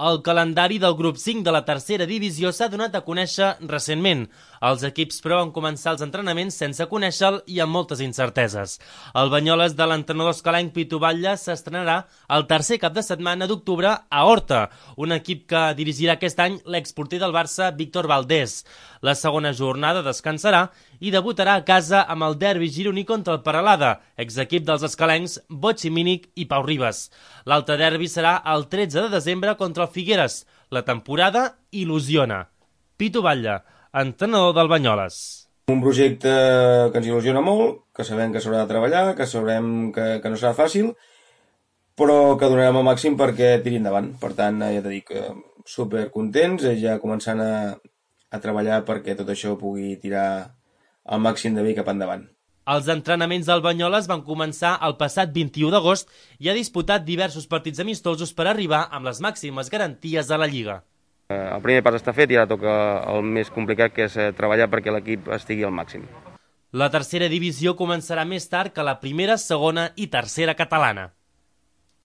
El calendari del grup 5 de la tercera divisió s'ha donat a conèixer recentment. Els equips, però, van començar els entrenaments sense conèixer-lo i amb moltes incerteses. El Banyoles de l'entrenador escalenc Pitu Batlle s'estrenarà el tercer cap de setmana d'octubre a Horta, un equip que dirigirà aquest any l'exporter del Barça Víctor Valdés. La segona jornada descansarà i debutarà a casa amb el derbi gironí contra el Peralada, exequip dels escalencs Botxi Mínic i Pau Ribas. L'altre derbi serà el 13 de desembre contra el Figueres. La temporada il·lusiona. Pitu Batlle, entrenador del Banyoles. Un projecte que ens il·lusiona molt, que sabem que s'haurà de treballar, que sabrem que no serà fàcil, però que donarem el màxim perquè tiri endavant. Per tant, ja t'he dit que supercontents, ja començant a treballar perquè tot això pugui tirar al màxim de bé cap endavant. Els entrenaments del Banyoles van començar el passat 21 d'agost i ha disputat diversos partits amistosos per arribar amb les màximes garanties a la Lliga. El primer pas està fet i ara toca el més complicat, que és treballar perquè l'equip estigui al màxim. La tercera divisió començarà més tard que la primera, segona i tercera catalana.